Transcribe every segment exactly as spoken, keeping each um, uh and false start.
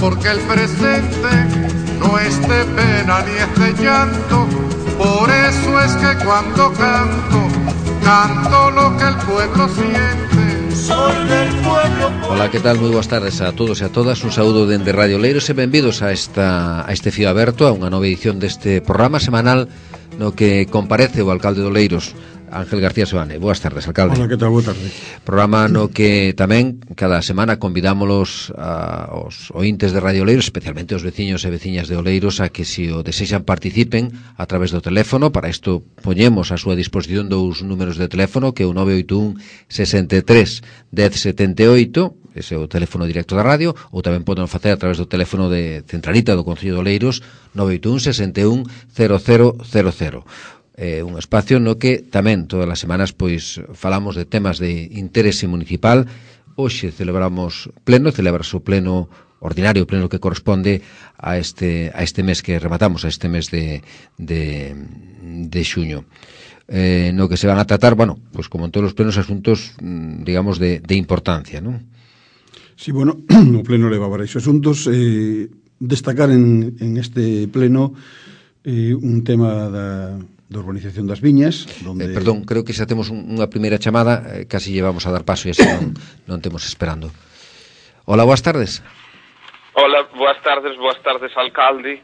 porque el presente no es de pena ni es de llanto. Por eso es que cuando canto, canto lo que el pueblo siente. Soy del pueblo. Hola, que tal? Moi boas tardes a todos e a todas. Un saúdo dende Radio Oleiros e benvidos a esta a este fío aberto, a unha nova edición deste programa semanal no que comparece o alcalde de Oleiros, Ángel García Seoane. Boas tardes, alcalde. Hola, que tal? Boa tarde. Programa no que tamén cada semana convidámolos a, aos ointes de Radio Oleiros, especialmente os veciños e veciñas de Oleiros, a que se o desexan participen a través do teléfono. Para isto poñemos a súa disposición dous números de teléfono, que é o nove oito un, sesenta e tres, dez setenta e oito, ese é o teléfono directo da radio, ou tamén poden facer a través do teléfono de centralita do Concello de Oleiros, nove oito un, sesenta e un, cero cero cero cero. Eh, un espacio no que tamén todas as semanas pois falamos de temas de interese municipal. Hoxe celebramos pleno, celebrase o pleno ordinario, o pleno que corresponde a este a este mes que rematamos, a este mes de de, de xuño. Eh, no que se van a tratar, bueno, pois como en todos os plenos, asuntos, digamos, de, de importancia, non? Sí, bueno, o pleno leva varios asuntos. Eh, destacar en, en este pleno eh, un tema da da urbanización das viñas, donde... Eh, perdón, creo que xa temos un, unha primeira chamada, eh, casi llevamos a dar paso e así non, non temos esperando. Hola, boas tardes. Hola, boas tardes, boas tardes, alcalde.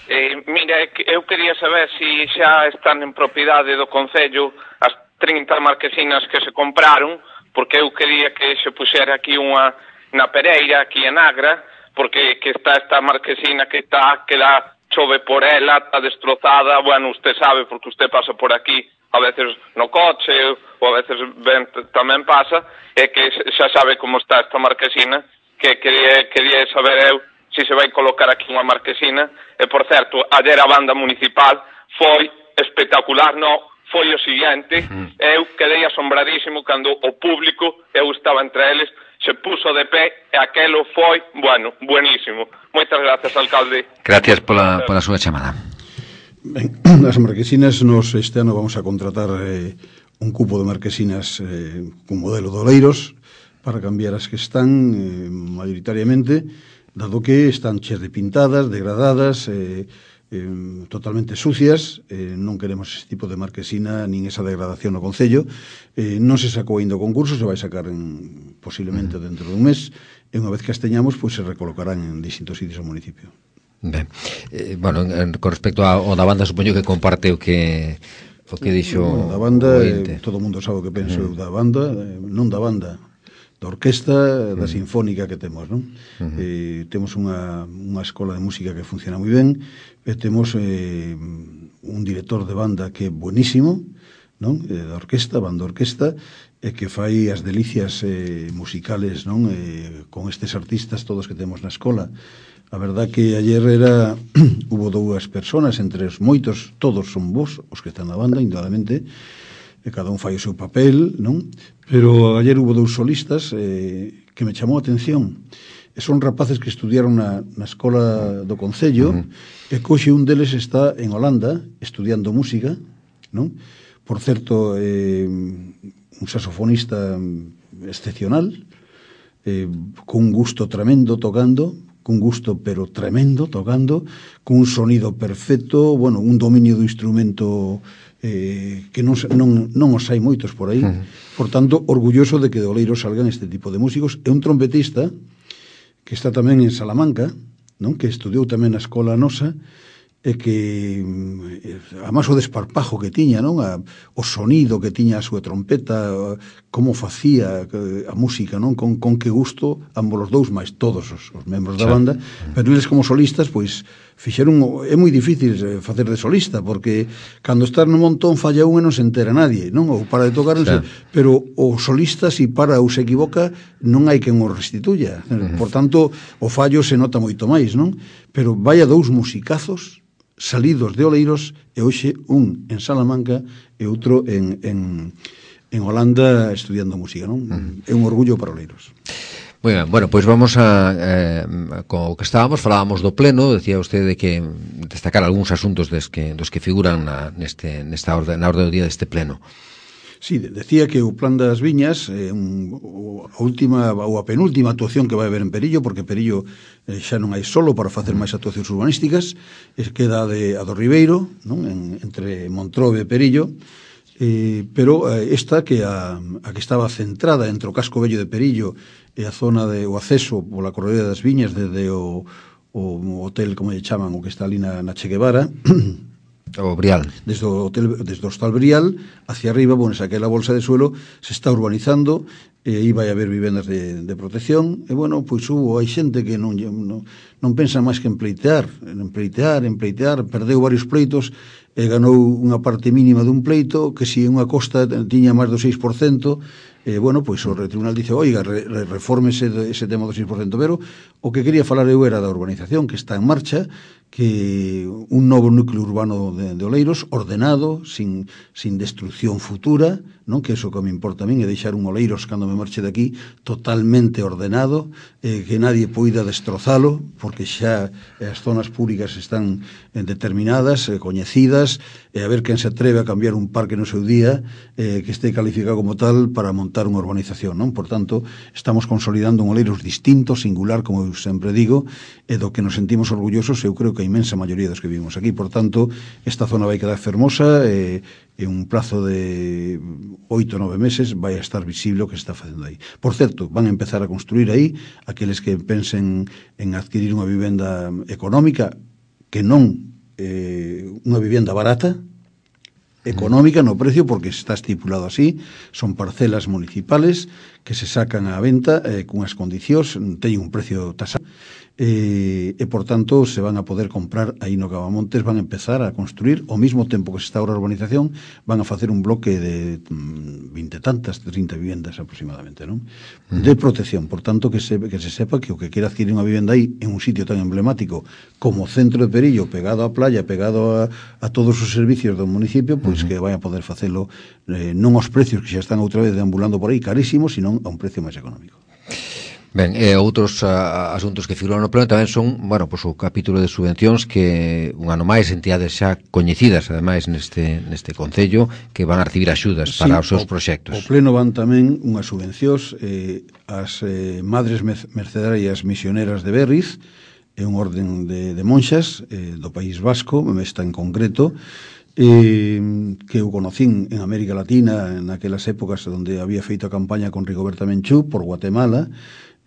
Eh, mira, eu quería saber se si xa están en propiedade do Concello as trinta marquesinas que se compraron, porque eu quería que se puxera aquí unha na Pereira, aquí en Agra, porque que está esta marquesina que está, que dá chove por ela, está destrozada, bueno, usted sabe, porque usted pasa por aquí a veces no coche, ou a veces ben, tamén pasa, e que xa sabe como está esta marquesina, que quería, quería saber eu se se vai colocar aquí unha marquesina. E, por certo, ayer a banda municipal foi espectacular, no, foi o siguiente, eu quedei asombradísimo cando o público, eu estaba entre eles, se puso de pé e aquelo foi, bueno, buenísimo. Moitas gracias, alcalde. Gracias pola, pola súa chamada. Ben, as marquesinas, nos este ano vamos a contratar eh, un cupo de marquesinas eh, con modelo de Oleiros para cambiar as que están eh, mayoritariamente, dado que están cheas de pintadas, degradadas, eh, eh, totalmente sucias. Eh, non queremos ese tipo de marquesina nin esa degradación no Concello. Eh, non se sacou ainda o concurso, se vai sacar en, posiblemente dentro dun mes, e unha vez que as teñamos, pois se recolocarán en distintos sitios do municipio. Ben, eh, bueno, en, con respecto ao da banda, supoño que comparte o que o que dixo bueno, da banda, eh, todo o mundo sabe o que penso uh -huh. da banda, eh, non da banda, da orquesta, da sinfónica que temos, non? Uh -huh. eh, temos unha, unha escola de música que funciona moi ben, e temos eh, un director de banda que é buenísimo, non? Eh, da orquesta, banda orquesta, e que fai as delicias eh, musicales, non? Eh, con estes artistas todos que temos na escola. A verdad que ayer era hubo dúas personas, entre os moitos, todos son vos, os que están na banda, indudablemente, e cada un fai o seu papel, non? Pero ayer hubo dous solistas eh, que me chamou a atención. E son rapaces que estudiaron na, na escola do Concello, uh -huh. e coxe un deles está en Holanda estudiando música, non? Por certo, eh, un saxofonista excepcional, eh, con un gusto tremendo tocando, con gusto pero tremendo tocando, con un sonido perfecto, bueno, un dominio do instrumento eh, que non, non, non os hai moitos por aí. Uh -huh. Por tanto, orgulloso de que de Oleiros salgan este tipo de músicos. E un trompetista que está tamén en Salamanca, non? Que estudiou tamén na escola nosa, e que además o desparpajo que tiña, non? A, o sonido que tiña a súa trompeta, como facía a música, non? Con, con que gusto, ambos os dous, máis todos os, os membros da banda, pero eles como solistas, pois fixeron, é moi difícil facer de solista, porque cando estás no montón falla un e non se entera nadie, non? Ou para de tocar, non se, pero o solista, si para ou se equivoca, non hai quen o restituya. Uh -huh. Por tanto, o fallo se nota moito máis, non? Pero vaya dous musicazos salidos de Oleiros, e hoxe un en Salamanca e outro en, en, en Holanda estudiando música, non? Uh-huh. É un orgullo para Oleiros. Moi ben, bueno, pois vamos a eh, co que estábamos, falábamos do pleno, decía usted de que destacar algúns asuntos des que, dos que figuran na, neste, nesta orde, na orde do día deste pleno. Sí, decía que o plan das viñas é eh, un, a última ou a penúltima actuación que vai haber en Perillo, porque Perillo eh, xa non hai solo para facer máis actuacións urbanísticas, es queda de, a do Ribeiro, non? En, entre Montrove e Perillo, eh, pero eh, esta que a, a que estaba centrada entre o casco vello de Perillo e a zona de o acceso pola corredera das viñas desde o, o hotel, como lle chaman, o que está ali na, na Che Guevara, o Brial. Desde o, hotel, desde o Hostal Brial hacia arriba, bueno, aquela bolsa de suelo se está urbanizando, e aí vai haber vivendas de, de protección, e bueno, pois hubo, hai xente que non, non, non pensa máis que en pleitear, en pleitear, en pleitear, perdeu varios pleitos, e ganou unha parte mínima dun pleito, que si unha costa tiña máis do seis por cento, e bueno, pois o tribunal dice, oiga, re, re, refórmese ese tema do seis por cento, pero o que quería falar eu era da urbanización que está en marcha, que un novo núcleo urbano de, de Oleiros, ordenado, sin, sin destrucción futura, non? Que eso que me importa a min é deixar un Oleiros cando me marche de aquí totalmente ordenado, eh, que nadie poida destrozalo, porque xa as zonas públicas están eh, determinadas, eh, coñecidas, e a ver quen se atreve a cambiar un parque no seu día eh, que este calificado como tal para montar unha urbanización, non? Por tanto, estamos consolidando un Oleiros distinto, singular, como eu sempre digo, e do que nos sentimos orgullosos, eu creo que a inmensa maioría dos que vivimos aquí. Por tanto, esta zona vai quedar fermosa e en un plazo de oito ou nove meses vai a estar visible o que se está facendo aí. Por certo, van a empezar a construir aí aqueles que pensen en adquirir unha vivenda económica, que non eh, unha vivenda barata, económica no precio, porque está estipulado así, son parcelas municipales que se sacan á venta eh, cunhas condicións, teñen un precio tasado, e, e por tanto se van a poder comprar aí no Cavamontes, van a empezar a construir ao mesmo tempo que se está ahora a urbanización, van a facer un bloque de vinte tantas, trinta vivendas aproximadamente, non? Uh-huh. De protección, por tanto que se, que se sepa que o que quera adquirir unha vivenda aí en un sitio tan emblemático como o centro de Perillo, pegado á playa, pegado a, a todos os servicios do municipio, pois uh-huh. que vai a poder facelo eh, non aos precios que xa están outra vez deambulando por aí carísimos, sino a un precio máis económico. Ben, e outros a, asuntos que figuran no pleno tamén son, bueno, pois o capítulo de subvencións que un ano máis entidades xa coñecidas, ademais neste neste concello, que van a recibir axudas sí, para os seus proxectos. O pleno van tamén unhas subvencións eh, as eh, Madres Mercedarias Misioneras de Berriz, é un orden de, de monxas eh, do País Vasco, esta en concreto, eh, que eu conocín en América Latina naquelas épocas onde había feito a campaña con Rigoberta Menchú por Guatemala,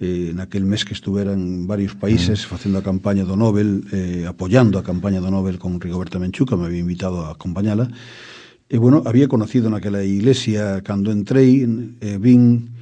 eh, naquel mes que estuveran en varios países facendo a campaña do Nobel, eh, apoyando a campaña do Nobel con Rigoberta Menchú, que me había invitado a acompañala. E, bueno, había conocido naquela iglesia, cando entrei, eh, vin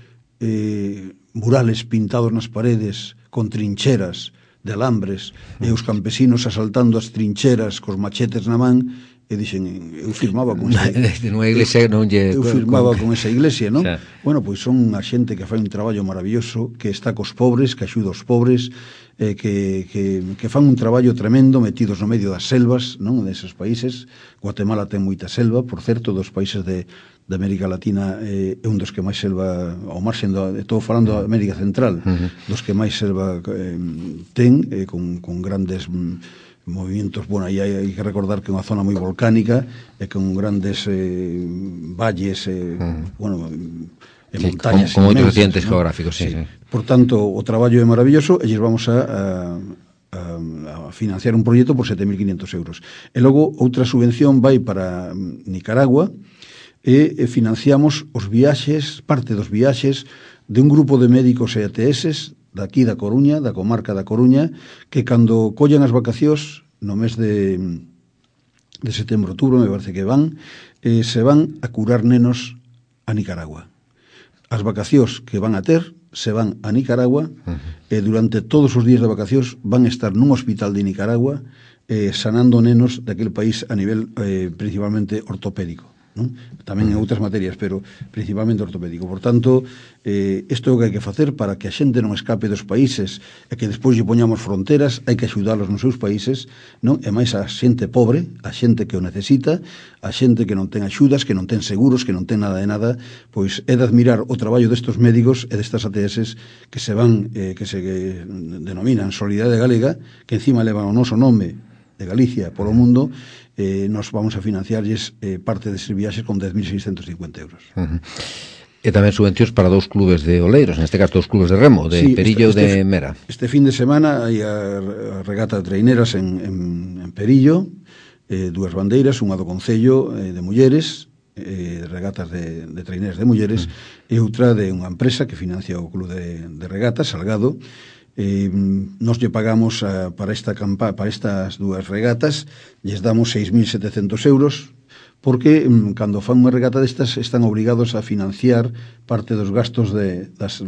eh, murales pintados nas paredes con trincheras de alambres, e os campesinos asaltando as trincheras cos machetes na man, e dixen, eu firmaba con esa iglesia, non lle, eu firmaba con esa iglesia, non? Xa. Bueno, pois son a xente que fai un traballo maravilloso, que está cos pobres, que axuda os pobres, eh, que, que, que fan un traballo tremendo metidos no medio das selvas, non? Deses países. Guatemala ten moita selva, por certo, dos países de, de América Latina eh, é un dos que máis selva, ao marxen do, estou falando da América Central, uh-huh. dos que máis selva eh, ten, eh, con, con grandes movimientos, bueno, aí hai, hai que recordar que é unha zona moi volcánica e con grandes eh, valles, eh, uh-huh. bueno, e sí, montañas con, con moitos accidentes ¿no? geográficos, sí, sí. sí. Por tanto, o traballo é maravilloso e lles vamos a, a, a financiar un proxecto por sete mil quinhentos euros. E logo, outra subvención vai para Nicaragua e, e financiamos os viaxes, parte dos viaxes de un grupo de médicos e A T S daqui da Coruña, da comarca da Coruña, que cando collan as vacacións no mes de, de setembro, outubro, me parece que van, eh, se van a curar nenos a Nicaragua. As vacacións que van a ter se van a Nicaragua uh-huh. e durante todos os días de vacacións van a estar nun hospital de Nicaragua eh, sanando nenos daquele país a nivel eh, principalmente ortopédico, non? Tamén en outras materias, pero principalmente ortopédico. Por tanto, eh, isto é o que hai que facer para que a xente non escape dos países e que despois lle poñamos fronteras, hai que axudalos nos seus países, non? E máis a xente pobre, a xente que o necesita, a xente que non ten axudas, que non ten seguros, que non ten nada de nada, pois é de admirar o traballo destos médicos e destas A T S que se van, eh, que se que denominan Solidariedade Galega, que encima levan o noso nome de Galicia polo mundo, eh, nos vamos a financiarlles eh, parte deses viaxes con dez mil seiscentos cincuenta euros. Uh-huh. E tamén subvencións para dous clubes de oleiros, neste caso dous clubes de remo, de sí, Perillo e de Mera. Este fin de semana hai a regata de traineras en, en, en Perillo, eh, dúas bandeiras, unha do Concello eh, de Mulleres, eh, regatas de, de traineras de mulleres, mm. e outra de unha empresa que financia o club de, de regatas, Salgado. Eh, nos lle pagamos a, para esta campa, para estas dúas regatas, lles damos seis mil setecientos euros, porque mm, cando fan unha regata destas están obrigados a financiar parte dos gastos de, das,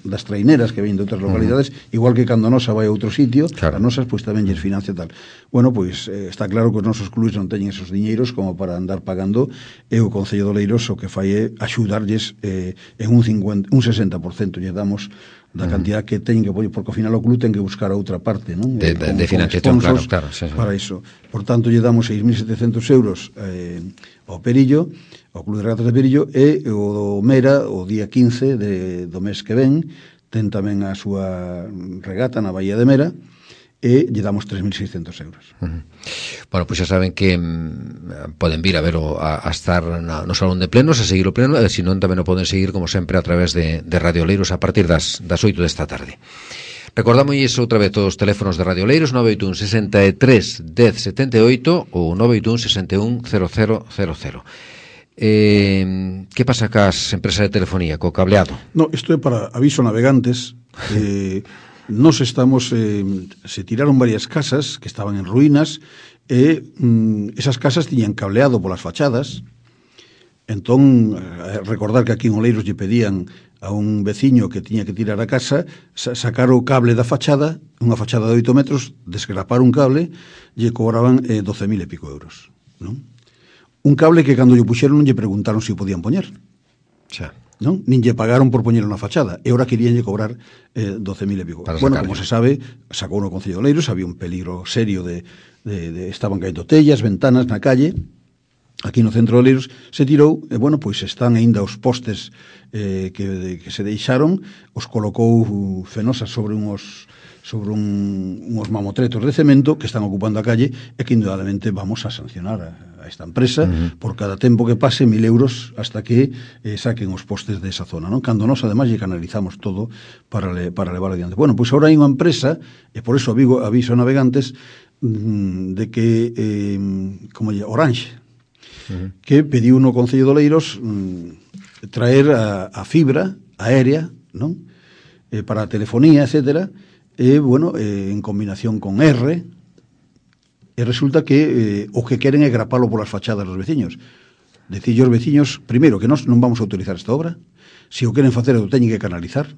das traineras que ven de outras localidades, uh-huh. igual que cando a nosa vai a outro sitio, claro. a nosas pois tamén lles financia tal. Bueno, pois eh, está claro que os nosos clubes non teñen esos diñeiros como para andar pagando, e o Concello de Oleiros o que fai é axudarlles eh, en un, cincuenta, un sesenta por cento lle damos da cantidad que teñen que poñer, porque ao final o club ten que buscar a outra parte, non? De, de, de financiación, claro, claro. Sí, sí. Para iso. Por tanto, lle damos seis mil setecientos euros eh, ao Perillo, ao Club de Regatas de Perillo, e o do Mera, o día quince de, do mes que ven, ten tamén a súa regata na Bahía de Mera, e lle damos tres mil seiscentos euros. Uh-huh. Bueno, pois pues xa saben que mm, poden vir a ver o, a, a estar na, no salón de plenos, a seguir o pleno, e se non tamén o poden seguir como sempre a través de, de Radio Oleiros a partir das, das oito desta tarde. Recordamos iso outra vez os teléfonos de Radio Oleiros, nove oito un, sesenta e tres, dez, setenta e oito ou nove oito un, sesenta e un, cero cero cero cero. Eh, que pasa cas empresas de telefonía, co cableado? No, isto é para aviso navegantes. eh, Nos estamos, eh, se tiraron varias casas que estaban en ruínas, e mm, esas casas tiñan cableado polas fachadas. Entón, eh, recordar que aquí en Oleiros lle pedían a un veciño que tiña que tirar a casa sa sacar o cable da fachada, unha fachada de oito metros, desgrapar un cable, lle cobraban eh, doce mil e pico euros, non? Un cable que cando lle puxeron non lle preguntaron se o podían poñer. Xa. Non? Nin lle pagaron por poñelo na fachada, e ora queríanlle cobrar eh, doce mil e pico. Bueno, como se sabe, sacou no Concello de Oleiros, había un peligro serio de, de, de estaban caendo tellas, ventanas na calle. Aquí no centro de Oleiros se tirou, e bueno, pois están aínda os postes eh, que, de, que se deixaron, os colocou Fenosa sobre unhos sobre un, unhos mamotretos de cemento que están ocupando a calle, e que indudablemente vamos a sancionar a, a esta empresa uh-huh. por cada tempo que pase mil euros hasta que eh, saquen os postes desa zona, non? Cando nós ademais lle canalizamos todo para, le, para levar adiante. Bueno, pois agora hai unha empresa, e por eso aviso, aviso a navegantes mm, de que eh, como lle, Orange uh-huh. que pediu no Concello de Oleiros mm, traer a, a fibra aérea, non? Eh, para a telefonía, etcétera. E, eh, bueno, eh, en combinación con R, e resulta que eh, o que queren é grapalo polas fachadas dos veciños. Decille aos veciños, primeiro, que nós non vamos a autorizar esta obra, se o queren facer, o teñen que canalizar,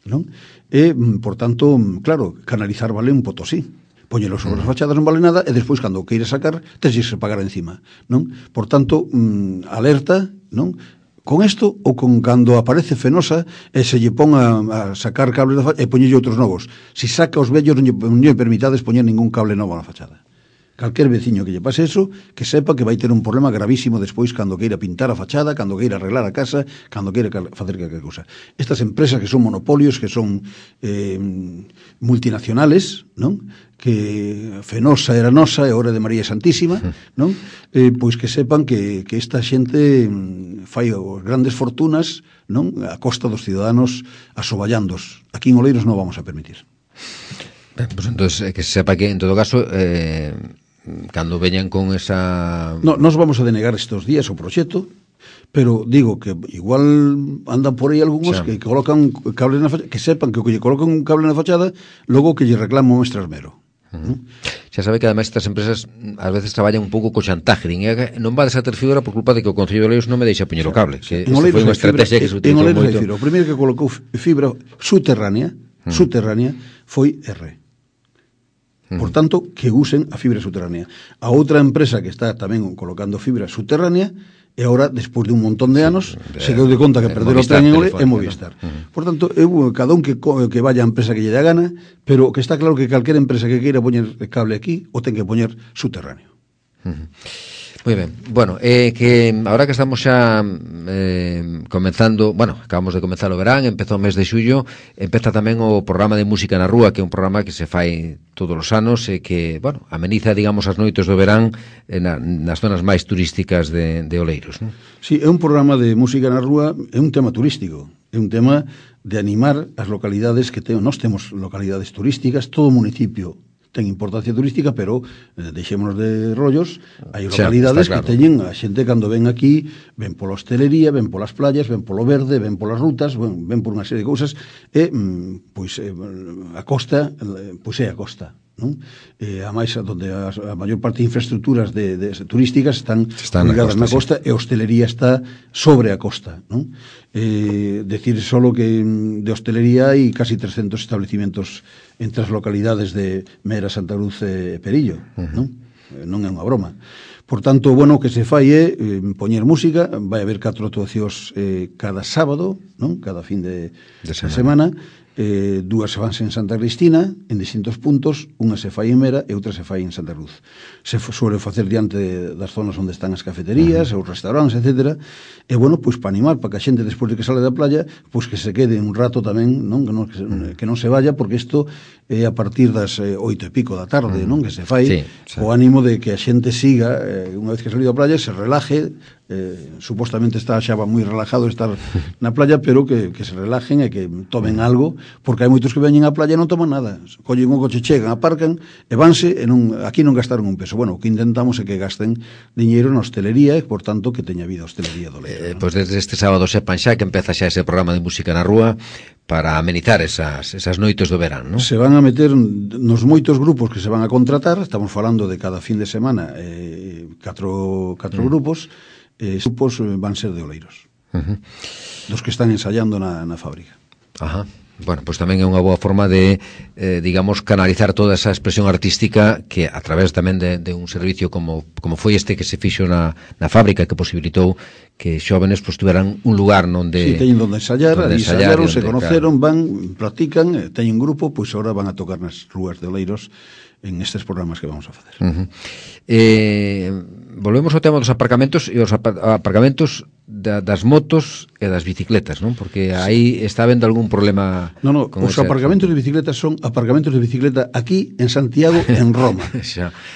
non? E, por tanto, claro, canalizar vale un potosí. Poñelo sobre as fachadas non vale nada, e despois, cando o queira sacar, tens que pagar encima, non? Por tanto, mm, alerta, non? Con isto, ou con cando aparece Fenosa e se lle pon a, a sacar cables da fachada e poñelle outros novos. Se saca os vellos, non lle, non lle permitades poñer ningún cable novo na fachada. Calquer veciño que lle pase eso, que sepa que vai ter un problema gravísimo despois cando queira pintar a fachada, cando queira arreglar a casa, cando queira facer calquer cousa. Estas empresas que son monopolios, que son eh, multinacionales, non? Que Fenosa era nosa e ora de María Santísima, non? Eh, pois que sepan que, que esta xente fai os grandes fortunas, non? A costa dos ciudadanos asoballandos. Aquí en Oleiros non vamos a permitir. Ben, pues entonces, que se sepa que en todo caso eh, cando veñan con esa... No, nos vamos a denegar estes días o proxecto, pero digo que igual andan por aí algúns que colocan cables na fachada, que sepan que o que lle colocan un cable na fachada, logo que lle reclaman un extrasmero. Uh-huh. Xa sabe que ademais estas empresas ás veces traballan un pouco co chantaje, non vades a ter fibra por culpa de que o Concello de Oleiros non me deixa poñer o cable, que foi unha estrategia que se utilizou moito. O primeiro que colocou fibra subterránea, uh-huh. subterránea foi R. Por tanto, que usen a fibra subterránea. A outra empresa que está tamén colocando fibra subterránea, e agora, despois de un montón de anos, de, se deu de conta que perder o tren en Ole é Movistar. ¿No? Uh-huh. Por tanto, eu, cada un que, que vaya a empresa que lle dá gana, pero que está claro que calquera empresa que queira poñer cable aquí, o ten que poñer subterráneo. Uh-huh. Moi ben, bueno, eh, que ahora que estamos xa eh, comenzando, bueno, acabamos de comenzar o verán, empezou o mes de xullo, empeza tamén o programa de Música na Rúa, que é un programa que se fai todos os anos e que, bueno, ameniza, digamos, as noites do verán eh, na, nas zonas máis turísticas de, de Oleiros, non? Sí, é un programa de Música na Rúa, é un tema turístico, é un tema de animar as localidades que temos. Nós temos localidades turísticas, todo o municipio ten importancia turística, pero eh, deixémonos de rollos, hai localidades claro. que teñen a xente cando ven aquí, ven pola hostelería, ven polas playas, ven polo verde, ven polas rutas, ven, ven por unha serie de cousas, e, mm, pois, eh, a costa, pois é a costa, non? E, a máis, onde a, a maior parte de infraestructuras de, de, de turísticas están, están ligadas na costa, na costa sí. E a hostelería está sobre a costa, non? Eh, decir solo que de hostelería hai casi trescentos establecimientos entre as localidades de Mera, Santa Cruz e Perillo, uh-huh. non? Non é unha broma. Por tanto, bueno, o que se fai é eh, poñer música, vai haber catro actuacións eh, cada sábado, non? Cada fin de, de semana, semana. Eh, dúas vanse en Santa Cristina en distintos puntos, unha se fai en Mera e outra se fai en Santa Cruz. Se suele facer diante de, das zonas onde están as cafeterías, uh-huh. os restaurantes, etcétera. E bueno, pois para animar, para que a xente despois de que sale da playa, pois que se quede un rato tamén, non? Que non, que, uh-huh. que non se vaya, porque isto é a partir das eh, oito e pico da tarde, uh-huh. non? Que se fai, sí, sí. O ánimo de que a xente siga, eh, unha vez que salido da playa, se relaje, eh, supostamente está xa moi relajado estar na playa, pero que, que se relajen e que tomen algo, porque hai moitos que veñen á playa e non toman nada, collen un coche, chegan, aparcan e vanse, e non, aquí non gastaron un peso. Bueno, o que intentamos é que gasten diñeiro na hostelería e, por tanto, que teña vida a hostelería do Leiro, eh, ¿no? Pois desde este sábado sepan xa que empeza xa ese programa de Música na Rúa para amenizar esas, esas noites do verán, non? Se van a meter nos moitos grupos que se van a contratar, estamos falando de cada fin de semana eh, catro, catro mm. grupos, eh, grupos van ser de Oleiros, uh-huh. dos que están ensayando na, na fábrica. Ajá. Bueno, pois pues tamén é unha boa forma de, eh, digamos, canalizar toda esa expresión artística que a través tamén de, de un servicio como, como foi este que se fixo na, na fábrica, que posibilitou que xóvenes pues, tuveran un lugar onde... Sí, teñen onde ensayar, onde ensayar ensayaron, se conoceron, claro. Van, practican, teñen un grupo, pois pues, agora van a tocar nas rúas de Oleiros en estes programas que vamos a facer. Uh-huh. Eh, volvemos ao tema dos aparcamentos e os aparcamentos da, das motos e das bicicletas, non? Porque aí está habendo algún problema. No, no, os ese... aparcamentos de bicicletas son aparcamentos de bicicleta aquí en Santiago, en Roma.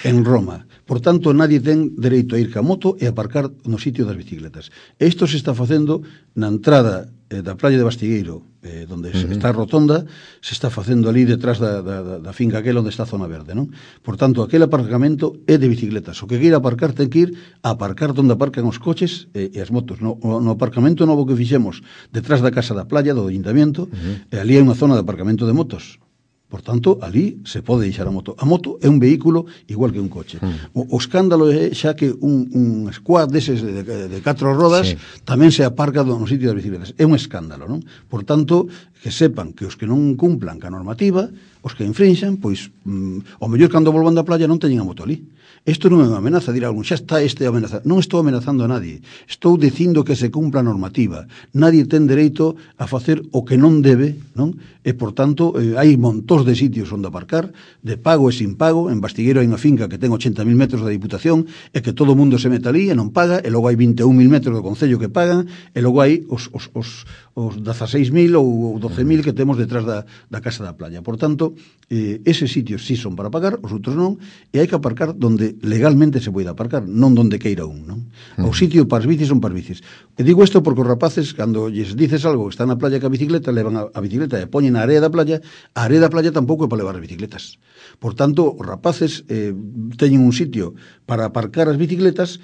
En Roma. Por tanto, nadie ten dereito a ir ca moto e aparcar no sitio das bicicletas. Isto se está facendo na entrada eh, da playa de Bastigueiro, eh, onde uh-huh. está a rotonda, se está facendo ali detrás da, da, da finca aquela onde está a zona verde, non? Por tanto, aquel aparcamento é de bicicletas. O que queira aparcar ten que ir a aparcar onde aparcan os coches e, e as motos. No, no aparcamento novo que fixemos detrás da casa da playa, do ayuntamiento, uh-huh. e ali hai unha zona de aparcamento de motos. Por tanto, ali se pode deixar a moto. A moto é un vehículo igual que un coche. Mm. O, o escándalo é xa que un, un squad deses de, de, de catro rodas sí. tamén se aparca no sitio das bicicletas. É un escándalo, non? Por tanto, que sepan que os que non cumplan ca normativa, os que infrinxan, pois, mm, o mellor cando volvan da playa non teñen a moto ali. Isto non é unha amenaza, dirá algún, xa está este amenaza. Non estou amenazando a nadie. Estou dicindo que se cumpla a normativa. Nadie ten dereito a facer o que non debe, non? E, por tanto, eh, hai montóns de sitios onde aparcar, de pago e sin pago. En Bastigueiro hai unha finca que ten ochenta mil metros da Diputación e que todo o mundo se mete ali e non paga, e logo hai vinte e un mil metros do Concello que pagan, e logo hai os, os, os, os dezaseis mil ou doce mil que temos detrás da, da casa da playa. Por tanto, eh, eses sitios sí son para pagar, os outros non, e hai que aparcar donde legalmente se pode aparcar, non donde queira un, non? O sitio para as bicis son para as bicis. E digo isto porque os rapaces, cando lles dices algo, están na playa ca bicicleta, levan a, a bicicleta e poñen a area da playa, a area da playa tampouco é para levar as bicicletas. Por tanto, os rapaces eh, teñen un sitio para aparcar as bicicletas,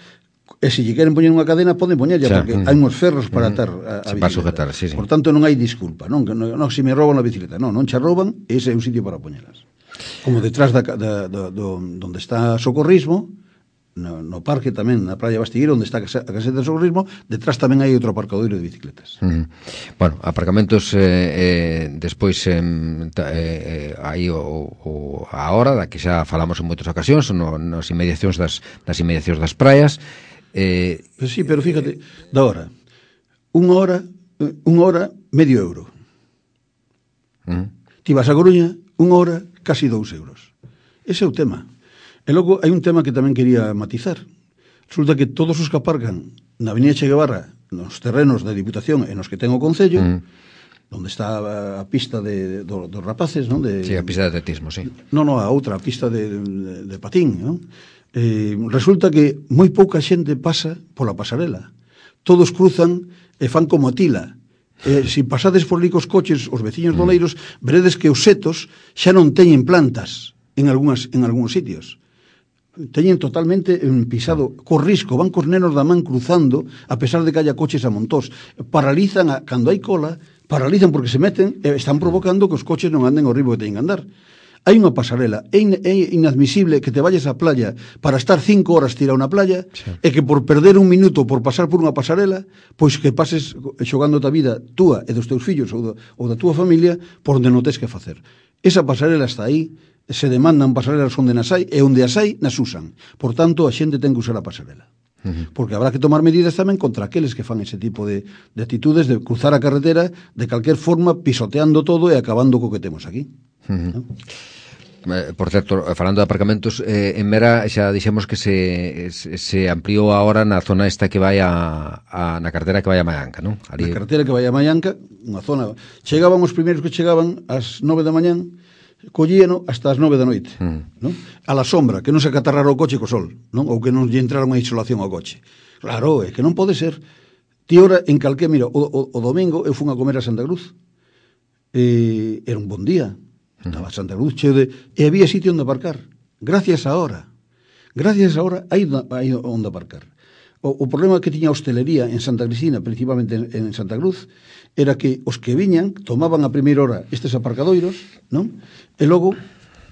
e se lle queren poñer unha cadena, poden poñerlla, porque uh-huh. hai uns ferros para atar a, a bicicleta. Sujetar, sí, sí. Por tanto, non hai disculpa, non, que non, non, se me rouban a bicicleta, non, non xa rouban, ese é un sitio para poñelas. Como detrás da, da, da, do, donde está Socorrismo, no, no parque tamén, na playa Bastigueiro, onde está a caseta de Socorrismo, detrás tamén hai outro aparcadoiro de bicicletas. Uh-huh. Bueno, aparcamentos eh, eh, despois eh, eh, aí o, o, a hora da que xa falamos en moitas ocasións, no, nas inmediacións das, das inmediacións das praias. Eh, pues sí, pero fíjate, da hora, unha hora, unha hora, medio euro. Uh-huh. Ti vas a Coruña, unha hora, casi dous euros. Ese é o tema. E logo hai un tema que tamén quería matizar. Resulta que todos os que aparcan na Avenida Che Guevara, nos terrenos da Diputación e nos que ten o Concello, mm. onde está a, a pista de, do, dos rapaces, non? De, sí, a pista de atletismo, sí. Non, non, a outra, a pista de, de, de patín, non? Eh, resulta que moi pouca xente pasa pola pasarela. Todos cruzan e fan como a tila. Eh, se pasades por ali cos coches, os veciños mm. doleiros, veredes que os setos xa non teñen plantas en algúns, en algúns sitios. Teñen totalmente pisado co risco, van cos nenos da man cruzando a pesar de que haya coches a montós, paralizan a, cando hai cola, paralizan porque se meten e están provocando que os coches non anden ao ritmo que teñen que andar. Hai unha pasarela, é, in, é inadmisible que te vayas á playa para estar cinco horas tirado na playa, sí. e que por perder un minuto por pasar por unha pasarela, pois que pases xogando a vida túa e dos teus fillos ou da, ou da túa familia por onde non tes que facer. Esa pasarela está aí, se demandan pasarelas onde nas hai, e onde as hai, nas usan. Por tanto, a xente ten que usar a pasarela. Uh-huh. Porque habrá que tomar medidas tamén contra aqueles que fan ese tipo de, de actitudes de cruzar a carretera de calquer forma, pisoteando todo e acabando co que temos aquí. Uh-huh. ¿No? Por certo, falando de aparcamentos, eh, en Mera xa dixemos que se, se ampliou agora na zona esta que vai a, a na carretera que vai a Maianca, non? Ali... Na carretera que vai a Maianca, unha zona... Chegaban os primeiros que chegaban ás nove da mañán, collíano hasta as nove da noite, mm. non? A la sombra, que non se acatarrara o coche co sol, non? Ou que non lle entrara unha insolación ao coche. Claro, é que non pode ser. Ti ora en calqué, mira, o, o, o domingo eu fun a comer a Santa Cruz. E era un bon día. Estaba a Santa Cruz cheo de... E había sitio onde aparcar. Gracias a hora. Gracias a hora hai, hai onde aparcar. O, o problema que tiña a hostelería en Santa Cristina, principalmente en, en Santa Cruz, era que os que viñan tomaban a primeira hora estes aparcadoiros, non? E logo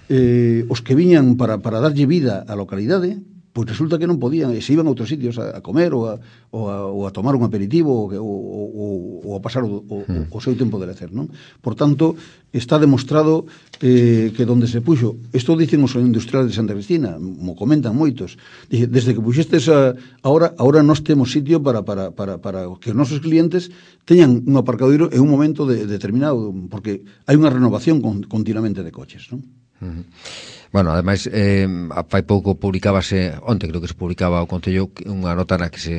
eh, os que viñan para, para darlle vida á localidade, pois resulta que non podían, e se iban a outros sitios a, a comer ou a, ou, a, ou a tomar un aperitivo ou, ou, ou a pasar o, o, o seu tempo de lecer, non? Por tanto, está demostrado eh, que donde se puxo, isto dicen os industriales de Santa Cristina, mo comentan moitos, dice, desde que puxestes a, ahora, ahora nós temos sitio para, para, para, para que os nosos clientes teñan un aparcadoiro en un momento de, determinado, porque hai unha renovación con, continuamente de coches, non? Uh-huh. Bueno, ademais, eh, fai pouco publicábase, onte creo que se publicaba o Concello unha nota na que se,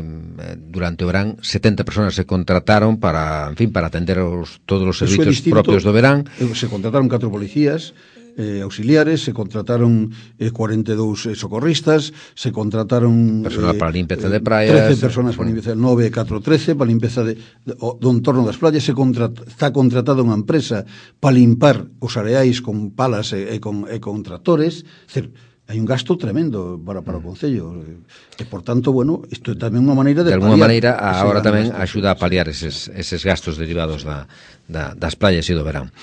durante o verán setenta personas se contrataron para, en fin, para atender os, todos os servicios propios do verán. Se contrataron catro policías eh, auxiliares, se contrataron eh, cuarenta e dous eh, socorristas, se contrataron personal eh, para a limpeza de praias, trece personas para limpeza, nove e catro, trece para limpeza de, de, do entorno das playas. Se contrat, está contratada unha empresa para limpar os areais con palas e, e, con, e con tractores. É dicir, hai un gasto tremendo para, para o Concello e, por tanto, bueno, isto é tamén unha maneira de, de alguna maneira, agora tamén axuda a paliar eses, eses gastos derivados da, da, das playas e do verán.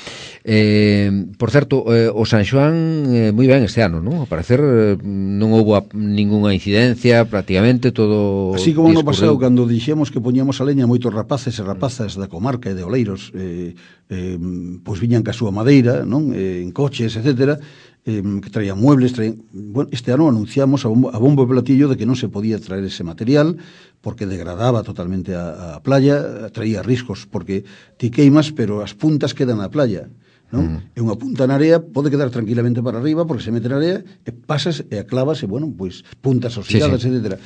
Eh, por certo, eh, o San Xoán eh, moi ben este ano, non? Ao parecer eh, non houbo a, ninguna incidencia, prácticamente todo así como no pasado, cando dixemos que poñíamos a leña moitos rapaces e rapazas da comarca e de Oleiros, eh, eh, pois viñan ca súa madeira, non? Eh, en coches, etcétera, eh, que traían muebles, traían... Bueno, este ano anunciamos a bombo, a bombo e platillo de que non se podía traer ese material porque degradaba totalmente a, a playa, traía riscos, porque ti queimas, pero as puntas quedan na playa, non? Mm. E unha punta na area pode quedar tranquilamente para arriba porque se mete na area e pasas e aclavas e, bueno, pois puntas oxidadas, sí, sí. etcétera.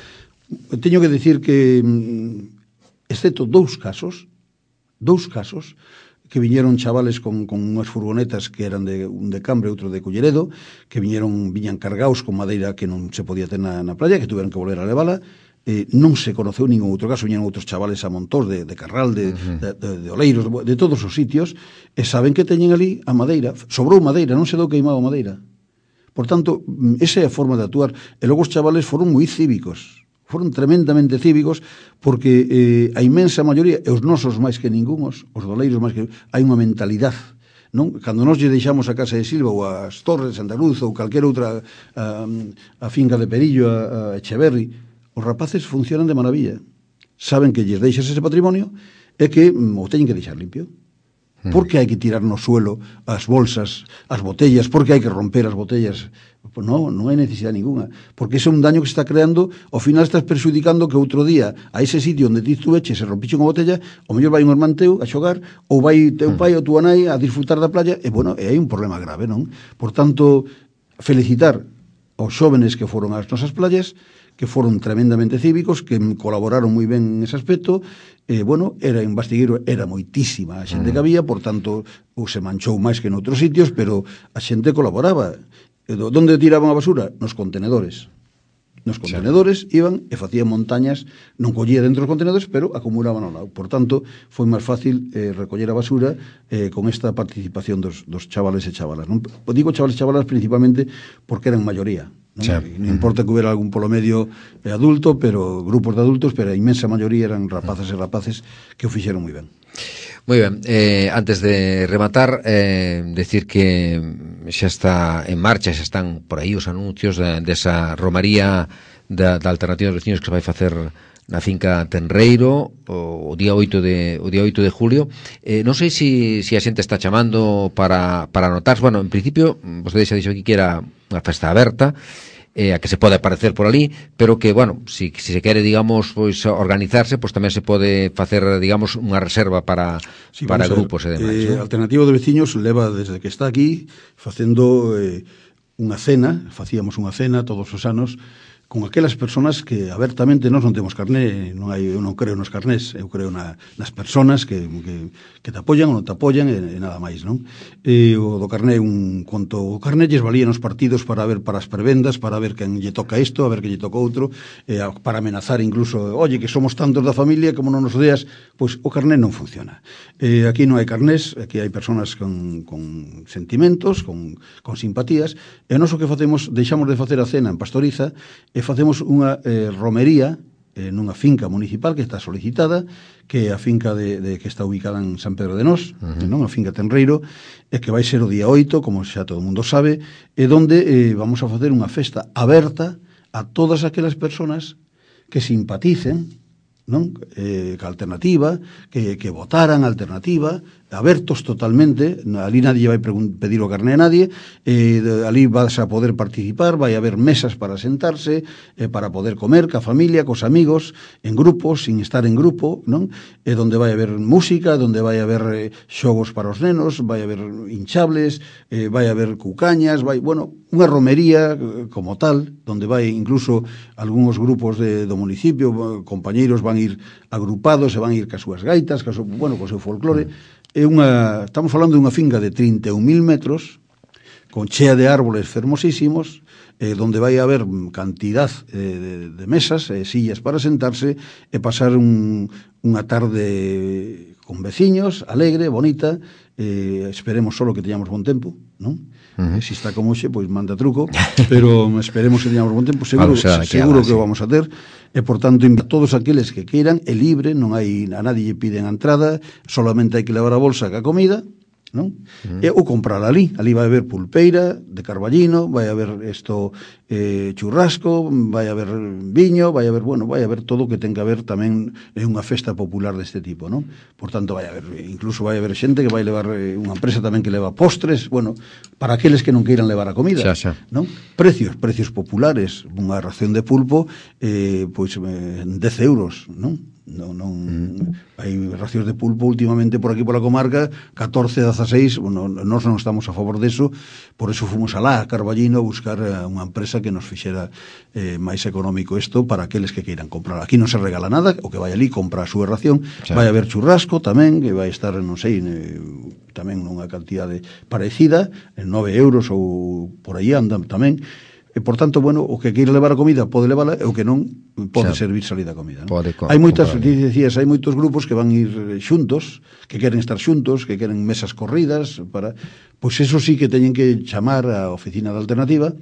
Teño que decir que, excepto dous casos, dous casos, que viñeron chavales con, con unhas furgonetas que eran de un de Cambre, outro de Culleredo, que viñeron viñan cargados con madeira que non se podía ter na, na playa, que tuveron que volver a levala. Eh, non se conoceu ningún outro caso, viñeron outros chavales a montós de, de Carral, de, uh-huh. de, de, de Oleiros, de, de todos os sitios, e saben que teñen ali a madeira, sobrou madeira, non se dou queimado madeira. Por tanto, esa é a forma de actuar. E logo os chavales foron moi cívicos, foron tremendamente cívicos, porque eh, a inmensa maioría, e os nosos máis que ningunos, os doleiros máis que hai unha mentalidade, non? Cando nós lle deixamos a Casa de Silva ou as Torres de Santa Cruz ou calquera outra a, a finca de Perillo, a, a Echeverri, os rapaces funcionan de maravilla. Saben que lles deixas ese patrimonio e que o teñen que deixar limpio. Por que hai que tirar no suelo as bolsas, as botellas? Por que hai que romper as botellas? Pues non, non hai necesidade ninguna. Porque ese é un daño que se está creando. Ao final estás perxudicando que outro día a ese sitio onde ti estuveche se rompiche unha botella, o mellor vai un irmán teu a xogar, ou vai teu pai ou tua nai a disfrutar da playa, e, bueno, e hai un problema grave, non? Por tanto, felicitar aos xóvenes que foron ás nosas playas, que foron tremendamente cívicos, que colaboraron moi ben en ese aspecto. Eh, bueno, era en Bastigueiro, era moitísima a xente que había, por tanto, ou se manchou máis que en outros sitios, pero a xente colaboraba. E do, donde tiraban a basura? Nos contenedores. Nos contenedores iban e facían montañas, non collía dentro dos contenedores, pero acumulaban ao lado. Por tanto, foi máis fácil eh, recoller a basura eh, con esta participación dos, dos chavales e chavalas. Non? Digo chavales e chavalas principalmente porque eran maioría. Non, sí. Non importa que hubiera algún polo medio eh, adulto, pero grupos de adultos, pero a inmensa maioría eran rapaces e rapaces que o fixeron moi ben. Moi ben, eh, antes de rematar, eh, decir que xa está en marcha, xa están por aí os anuncios de, desa romaría da, da Alternativa dos Veciños que se vai facer na finca Tenreiro o, o día oito de o día oito de julio. Eh, non sei se si, si a xente está chamando para, para anotarse. Bueno, en principio, vostede xa dixo aquí que era unha festa aberta, eh, a que se pode aparecer por ali, pero que, bueno, si, si se quere, digamos, pois organizarse, pois tamén se pode facer, digamos, unha reserva para, sí, para grupos e demais. Eh, ¿no? Alternativa de Veciños leva desde que está aquí facendo eh, unha cena, facíamos unha cena todos os anos, con aquelas personas que abertamente nós non temos carné, non hai, eu non creo nos carnés, eu creo na, nas personas que, que, que te apoyan ou non te apoyan e, e nada máis, non? E o do carné, un conto, o carné lles valía nos partidos para ver para as prebendas, para ver quen lle toca isto, a ver quen lle toca outro, e para amenazar incluso, oye, que somos tantos da familia, como non nos odeas, pois o carné non funciona. E aquí non hai carnés, aquí hai personas con, con sentimentos, con, con simpatías, e nós o que facemos, deixamos de facer a cena en Pastoriza, e facemos unha eh, romería eh, nunha finca municipal que está solicitada, que é a finca de, de, que está ubicada en San Pedro de Nós, uh-huh. non? A finca Tenreiro, e que vai ser o día oito, como xa todo o mundo sabe, e donde eh, vamos a facer unha festa aberta a todas aquelas persoas que simpaticen, non? Eh, que alternativa, que, que votaran a alternativa, abertos totalmente, ali nadie vai pedir o carné a nadie, eh, ali vas a poder participar, vai haber mesas para sentarse, eh, para poder comer ca familia, cos amigos, en grupos, sin estar en grupo, non? E donde vai haber música, donde vai haber eh, xogos para os nenos, vai haber hinchables, eh, vai haber cucañas, vai, bueno, unha romería eh, como tal, donde vai incluso algúns grupos de, do municipio, compañeiros van ir agrupados, e van ir cas súas gaitas, cas, bueno, co seu folclore. É unha, estamos falando de unha finca de trinta e un mil metros, con chea de árboles fermosísimos, eh, donde vai haber cantidad eh, de, de mesas e eh, sillas para sentarse e pasar un, unha tarde con veciños, alegre, bonita. Eh, esperemos solo que teñamos bon tempo, non? Uh-huh. Se si está como xe, pois manda truco, pero esperemos que teñamos bon tempo, seguro, claro, o sea, seguro que, que vamos a ter, e por tanto a todos aqueles que queiran, é libre, non hai, a nadie lle piden a entrada, solamente hai que levar a bolsa ca comida, non? Uh-huh. E ou comprar ali, ali vai haber pulpeira de carballino, vai haber isto eh, churrasco, vai haber viño, vai haber, bueno, vai haber todo o que ten que haber tamén en unha festa popular deste tipo, non? Por tanto, vai haber, incluso vai haber xente que vai levar eh, unha empresa tamén que leva postres, bueno, para aqueles que non queiran levar a comida, xa, xa. Non? Precios, precios populares, unha ración de pulpo eh, pois eh, dez euros, non? Non, non, mm. hai racións de pulpo últimamente por aquí pola comarca catorce, dezaseis, bueno, nós non estamos a favor deso, por eso fomos alá a Carballino a buscar unha empresa que nos fixera eh, máis económico isto para aqueles que queiran comprar. Aquí non se regala nada, o que vai ali compra a súa ración, sí. Vai haber churrasco tamén, que vai estar, non sei, eh, tamén nunha cantidade parecida, en nove euros ou por aí andan tamén. E, por tanto, bueno, o que queira levar a comida pode levala, e o que non pode xa, servir salida a comida, non? Pode, hai moitas, dicías, hai moitos grupos que van ir xuntos, que queren estar xuntos, que queren mesas corridas para, pois eso sí que teñen que chamar a oficina da alternativa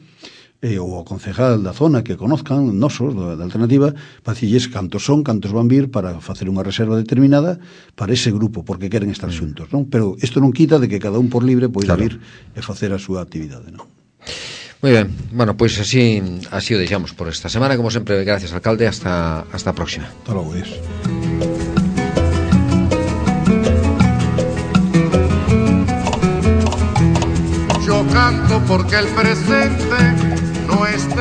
eh, ou ao concejal da zona que conozcan, nosos, da, da alternativa, para dicirles cantos son, cantos van vir para facer unha reserva determinada para ese grupo, porque queren estar xuntos, non? Pero isto non quita de que cada un por libre poida claro. vir e facer a súa actividade, non? Moi ben, bueno, pois pues así así o deixamos por esta semana, como sempre, gracias, alcalde, hasta hasta a próxima. Hasta logo, Dios. Yo canto porque el presente no esté